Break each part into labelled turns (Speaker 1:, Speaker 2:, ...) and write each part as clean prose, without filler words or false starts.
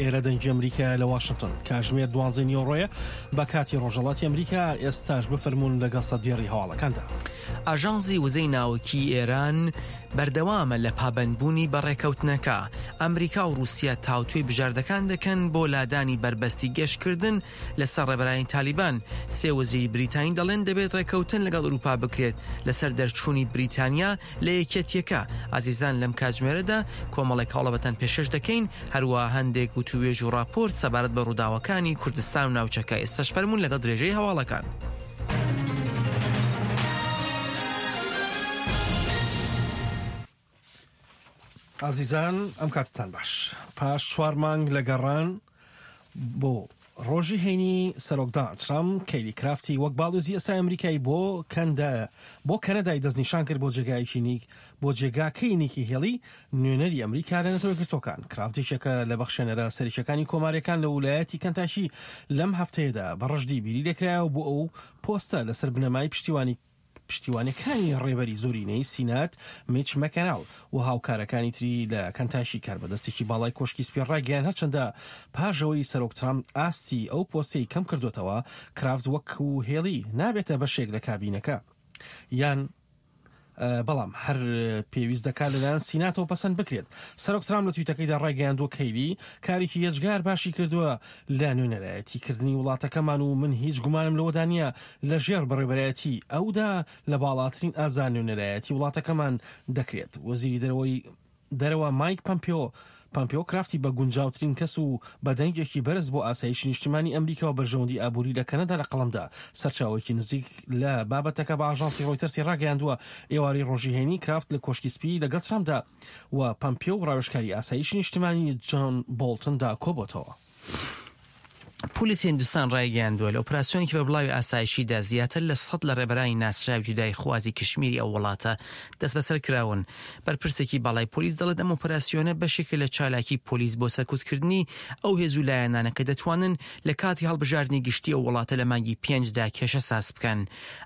Speaker 1: ئێرە دەنگی ئەمریکایە لە واشنتۆن. کاژمێر دوانزەی نیوەڕۆیە بە کاتی ڕۆژهەڵاتی ئەمریکا، ئێستاش بفەرموون لەگەڵ سەردێڕی هەواڵەکاندا.
Speaker 2: ئاژانسی وزەی ناوکیی ئێران بەردەوامە لە پابەندبوونی بە ڕێکەوتنەکە. ئەمریکا و ڕووسیا تاوتوێی بژاردەکان دەکەن بۆ لادانی بەربەستی گەشتکردن لەسەر ڕێبەرانی تالیبان. سێ وەزیری بریتانی دەڵێن دەبێت ڕێکەوتن لەگەڵ ئەوروپا بکرێت لەسەر دەرچوونی بریتانیا لە یەکیەتیەکە. ئازیزان لەم کاتژمێرەدا کۆمەڵێک هەوڵەبەتان پێشکەش دەکەین، هەروەها هەندێک وتووێژ و ڕاپۆرت سەبارەت بە ڕووداوەکانی کوردستان و ناوچەکە. ئێستاش فەرموون لەگەڵ درێژەی هەواڵەکان.
Speaker 1: ئازیزان ئەم کاتتان باش. پاش چوار مانگ لە گەڕان بۆ ڕۆژی هەینی سەرۆک داناڵد ترامپ کەیلی کرافتی وەک باڵیۆزی ئێستای ئەمریکای بۆ کەندا بۆ کەنەدای دەستنیشان کرد بۆ جێگایەکی نیک بۆ جێگاکەی نیکی هێڵی نوێنەری ئەمریکا لە نەتەوە یەکگرتووەکان. کرافت یەکێکە لە بەخشێنەرە سەرەکیەکانی کۆماریەکان لە ولایەتی کەنتاکی لەم هەفتەیەدا بە ڕژدی بیری لێکرایەوە بۆ ئەو پۆستە لەسەر بنەمای پشتیوانی پشتیوانیەکانی ڕێبەری زۆرینەی سینات میچ مەکەناڵ و هاوکارەکانی تری لە کەنتاشی کاربەدەستێکی باڵای کۆشکی سپی ڕایگەیاند هەرچەندە پاش ئەوەی سەرۆک ترامپ ئاستی ئەو پۆستەی کەم کردۆتەوە کرافت وەکو هێڵی نابێتە بەشێک لە کابینەکە یان بەڵام هەر پێویست دەکات لەلایەن سیناتەوە پەسەند بکرێت. سەرۆک ترامپ لە تویتەکەیدا ڕایگەیاندووە کەیلی کارێکی یەجگار باشی کردووە لە نوێنەرایەتی کردنی وڵاتەکەمان و من هیچ گومانم لەوەدا نییە لە ژێر بەڕێوەبەرایەتی ئەودا لە باڵاترین ئاستدا نوێنەرایەتی وڵاتەکەمان دەکرێت. وەزیری دەرەوەی دەرەوە مایک پەمپیۆ پەمپیۆ کرافتی بە گونجاوترین کەس و بە دەنگێکی بەرز بۆ ئاسایشی نیشتیمانی ئەمریکا و بەرژەوەندی ئابووری لە کەنەدا لە قەڵەمدا. سەرچاوەیەکی نزیک لە بابەتەکە بە ئاژانسی ڕۆیتەرسی ڕاگەیاندووە، ئێوارەی ڕۆژی هەینی کرافت لە کۆشکی سپی لەگەڵ ترامپدا و پەمپیۆ و ڕاوێژکاری ئاسایشی نیشتمانی جۆن بۆڵتندا کۆبۆتەوە.
Speaker 2: پۆلیسی هیندستان ڕایگەیاندووە، لە ئۆپراسیۆنێکی بەربڵاوی ئاسایشیدا زیاتر لە سەد لە ڕێبەرانی ناسراوی جوداییخوازی کشمیری ئەو وڵاتە دەستبەسەر کراون. بەرپرسێکی باڵای پۆلیس دەڵێت ئەم ئۆپراسیۆنە بەشێکە لە چالاکی پۆلیس بۆ سەرکوتکردنی ئەو هێز و لایەنانە کە دەتوانن لە کاتی هەڵبژاردنی گشتی ئەو وڵاتە لە مانگی پێنجدا کێشە ساز بکەن.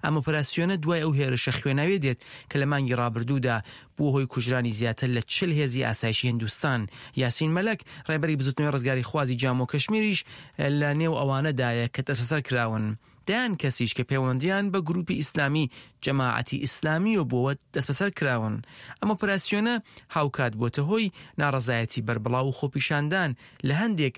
Speaker 2: ئەم ئۆپراسیۆنە دوای ئەو هێرشە خوێناویە دێت کە لە مانگی ڕابردوودا بووە هۆی کوژرانی زیاتر لە 40 هێزی ئاسایشی هندوستان. یاسین مەلەک، ڕێبەری بزوتنەوەی ڕزگاریخوازی جامۆ کەشمیریش لە نێو ئەوانەدایە کە دەستبەسەر کراون. دەیان کەسیش کە پەیوەندییان بە گروپی ئیسلامی جەماعەتی ئیسلامییەوە بووە دەستبەسەر کراون. ئەم ئۆپەراسیۆنە هاوکات بووەتە هۆی ناڕەزایەتی بەربڵاو و خۆپیشاندان لە هەندێک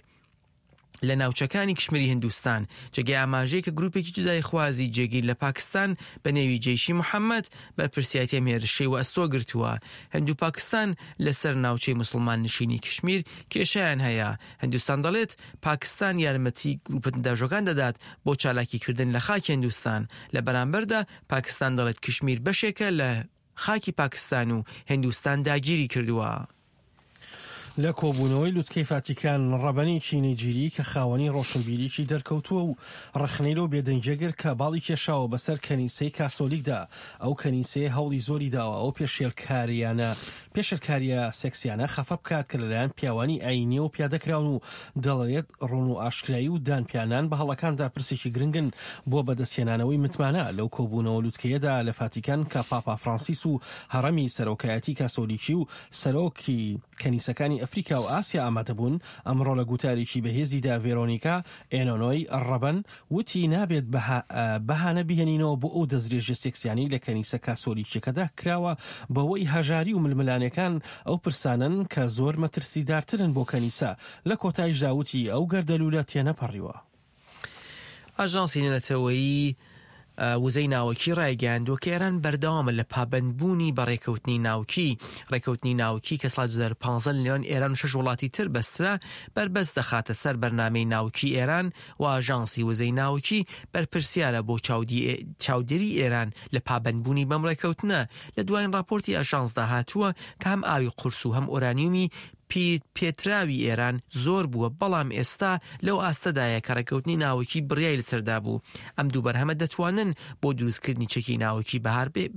Speaker 2: لە ناوچەکانی کشمیری هندوستان، جێگەی ئاماژەیە کە گروپێکی جوداییخوازی جێگیر لە پاکستان بە نێوی جەیشی محەمەد بەرپرسیارێتی ئەم هێرشەی وەئەستۆ گرتووە. هند و پاکستان لەسەر ناوچەی موسڵمان نشینی کشمیر کێشەیان هەیە. هندوستان دەڵێت پاکستان یارمەتی گروپە توندئاژۆکان دەدات بۆ چالاکیکردن لە خاکی هندوستان. لە بەرامبەردا پاکستان دەڵێت کشمیر بەشێکە لە خاکی پاکستان و هندوستان داگیری کردووە.
Speaker 1: لە کۆبوونەوەی لوتکەی فاتیکان، ڕەبەنێکی نەیجیری کە خاوەنی ڕۆشنبیریی دەرکەوتووە و ڕەخنەی لەو بێدەنگیە گرت کە باڵی کێشاوە بەسەر کەنیسەی کاسۆلیکدا، ئەو کەنیسەیە هەوڵی زۆری داوە ئەو پێشێلکارییانە پێشێلکارییە سێکسیانە خەفە بکات کە لەلایەن پیاوانی ئایینییەوە پیادەکراون و دەڵێت ڕوون و ئاشکرایی و دانپیانان بە هەڵەکاندا پرسێکی گرنگن بۆ بەدەستهێنانەوەی متمانە. لەو کۆبوونەوە لوتکەیەدا لە فاتیکان کە پاپا فرانسیس و هەڕەمی سەرۆکایەتی کاسۆلیکی و سەرۆکی کەنیسەکانی ئەفریکا و ئاسیا ئامادەبوون، ئەمڕۆ لە گوتارێکی بەهێزیدا ڤێرۆنیکا ئێنۆنۆی ڕەبەن وتی نابێت بەهانە بهێنینەوە بۆ ئەو دەستدرێژیە سێکسیانەی لە کەنیسە کاسۆلیکیەکەدا کراوە بەوەی هەژاری و ململانێکان ئەو پرسانەن کە زۆر مەترسیدارترن بۆ کەنیسە، لە کۆتایشدا وتی ئەو گەردەلوولە تێنەپەڕیوە.
Speaker 2: ئاژانسی نێونەتەوەیی وزەی ناوەکی ڕایگەیاندووە کە ئێران بەردەوامە لە پابەندبوونی بە ڕێکەوتنی ناوکی. ڕێکەوتنی ناوکی کە ساڵی 2015 لە نێوان ئێران و شەش وڵاتی تر بەسترا، بەربەست دەخاتە سەر بەرنامەی ناوکی ئێران و ئاژانسی وزەی ناوکی بەرپرسیارە بۆ چاودێری ئێران لە پابەندبوونی بەم ڕێکەوتنە. لە دوایین ڕاپۆرتی ئاژانسدا هاتووە کە هەم ئاوی قورس و هەم ئۆرانیومی پێتراوی ئێران زۆر بووە، بەڵام ئێستا لەو ئاستەدایە کە ڕێککەوتنی ناوەکی بڕیای لەسەردا بوو. ئەم دوو بەرهەمە دەتوانن بۆ دروستکردنی چەکی ناوەکی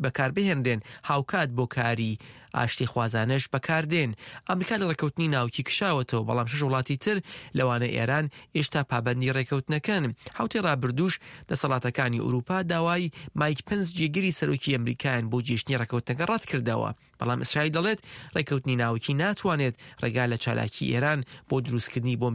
Speaker 2: بەکاربهێنرێن، هاوکات بۆ کاری. ئاشتیخوازانەش بەکاردێن. ئەمریکا لە ڕێککەوتنی ناوکی کشاوەتەوە، بەڵام شەش وڵاتی تر لەوانە ئێران ئێشتا پابەندی ڕێککەوتنەکەن. حەوتەی ڕابردووش دەسەڵاتەکانی ئورووپا داوای مایک پنس جێگری سەرۆکی ئەمریکایان بۆ جێشتنی ڕێککەوتنەکە ڕەتکردەوە. بەڵام ئیسرائیل دەڵێت ڕێککەوتنی ناوکی ناتوانێت ڕێگا لە چالاکی ئێران بۆ دروستکردنی بۆمبی.